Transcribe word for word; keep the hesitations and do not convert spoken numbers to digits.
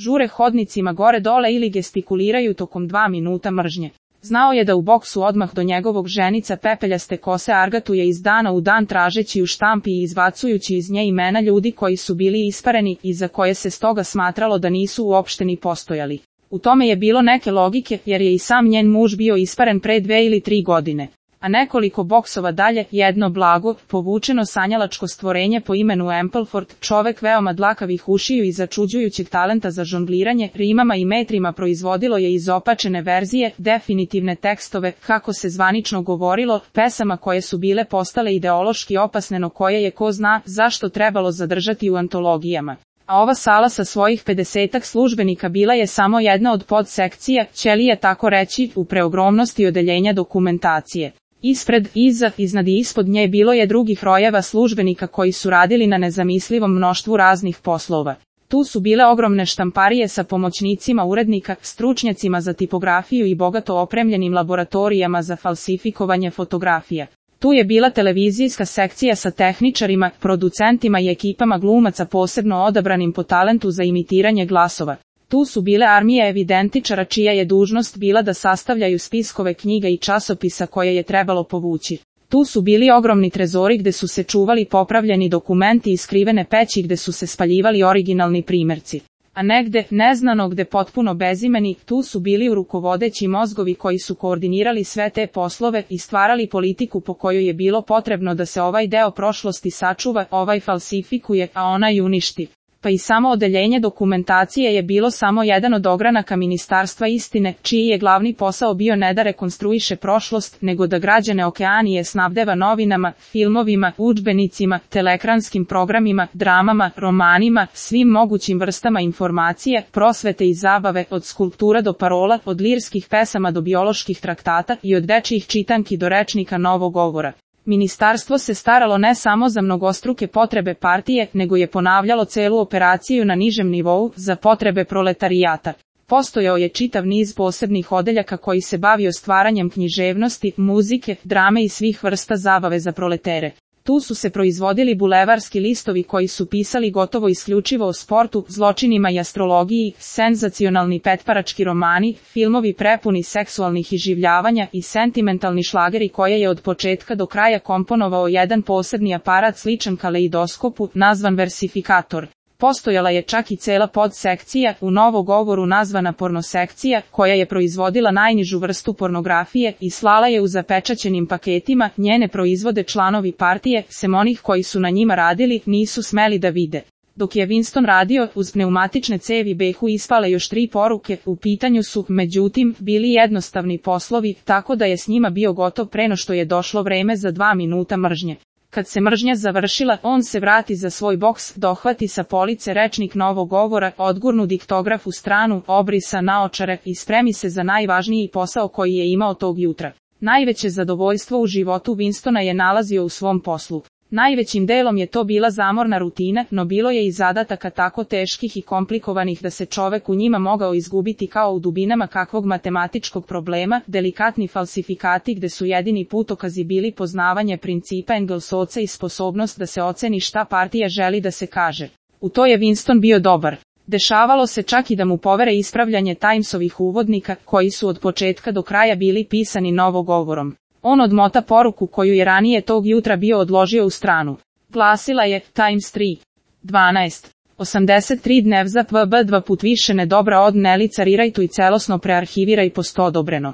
žure hodnicima gore-dole ili gestikuliraju tokom dva minuta mržnje. Znao je da u boksu odmah do njegovog ženica pepeljaste kose argatuje iz dana u dan tražeći u štampi i izbacujući iz nje imena ljudi koji su bili ispareni i za koje se stoga smatralo da nisu uopšte ni postojali. U tome je bilo neke logike jer je i sam njen muž bio isparen pre dve ili tri godine. A nekoliko boksova dalje, jedno blago, povučeno sanjalačko stvorenje po imenu Ampleford, čovek veoma dlakavih ušiju i začuđujućeg talenta za žongliranje, rimama i metrima proizvodilo je izopačene verzije, definitivne tekstove, kako se zvanično govorilo, pesama koje su bile postale ideološki opasne no koje je ko zna zašto trebalo zadržati u antologijama. A ova sala sa svojih pedesetak službenika bila je samo jedna od podsekcija, ćelije tako reći, u preogromnosti odeljenja dokumentacije. Ispred, iza, iznad i ispod nje bilo je drugih rojeva službenika koji su radili na nezamislivom mnoštvu raznih poslova. Tu su bile ogromne štamparije sa pomoćnicima urednika, stručnjacima za tipografiju i bogato opremljenim laboratorijama za falsifikovanje fotografija. Tu je bila televizijska sekcija sa tehničarima, producentima i ekipama glumaca posebno odabranim po talentu za imitiranje glasova. Tu su bile armije evidentičara čija je dužnost bila da sastavljaju spiskove knjiga i časopisa koje je trebalo povući. Tu su bili ogromni trezori gde su se čuvali popravljeni dokumenti i skrivene peći gde su se spaljivali originalni primerci. A negde, neznano gde potpuno bezimeni, tu su bili rukovodeći mozgovi koji su koordinirali sve te poslove i stvarali politiku po kojoj je bilo potrebno da se ovaj deo prošlosti sačuva, ovaj falsifikuje, a onaj uništi. Pa i samo odeljenje dokumentacije je bilo samo jedan od ogranaka Ministarstva istine, čiji je glavni posao bio ne da rekonstruiše prošlost, nego da građane Okeanije snabdeva novinama, filmovima, udžbenicima, teleekranskim programima, dramama, romanima, svim mogućim vrstama informacije, prosvete i zabave, od skulptura do parola, od lirskih pesama do bioloških traktata i od dečjih čitanki do rečnika novog govora. Ministarstvo se staralo ne samo za mnogostruke potrebe partije, nego je ponavljalo celu operaciju na nižem nivou za potrebe proletarijata. Postojao je čitav niz posebnih odeljaka koji se bavio stvaranjem književnosti, muzike, drame i svih vrsta zabave za proletere. Tu su se proizvodili bulevarski listovi koji su pisali gotovo isključivo o sportu, zločinima i astrologiji, senzacionalni petparački romani, filmovi prepuni seksualnih iživljavanja i sentimentalni šlageri koje je od početka do kraja komponovao jedan posebni aparat sličan kaleidoskopu, nazvan versifikator. Postojala je čak i cela podsekcija, u novogovoru nazvana pornosekcija, koja je proizvodila najnižu vrstu pornografije i slala je u zapečaćenim paketima, njene proizvode članovi partije, sem onih koji su na njima radili, nisu smeli da vide. Dok je Winston radio, uz pneumatične cevi behu ispale još tri poruke, u pitanju su, međutim, bili jednostavni poslovi, tako da je s njima bio gotov pre no što je došlo vreme za dva minuta mržnje. Kad se mržnja završila, on se vrati za svoj boks, dohvati sa police rečnik novog govora, odgurnu diktograf u stranu, obrisa naočare i spremi se za najvažniji posao koji je imao tog jutra. Najveće zadovoljstvo u životu Winstona je nalazio u svom poslu. Najvećim delom je to bila zamorna rutina, no bilo je i zadataka tako teških i komplikovanih da se čovek u njima mogao izgubiti kao u dubinama kakvog matematičkog problema, delikatni falsifikati gde su jedini putokazi bili poznavanje principa Engelsovca i sposobnost da se oceni šta partija želi da se kaže. U to je Winston bio dobar. Dešavalo se čak i da mu povere ispravljanje Timesovih uvodnika, koji su od početka do kraja bili pisani novogovorom. On odmota poruku koju je ranije tog jutra bio odložio u stranu. Glasila je Times tri. dvanaest. osamdeset tri dnev za pb dva put više nedobra od nelicariraj tu i celosno prearhiviraj posto odobreno.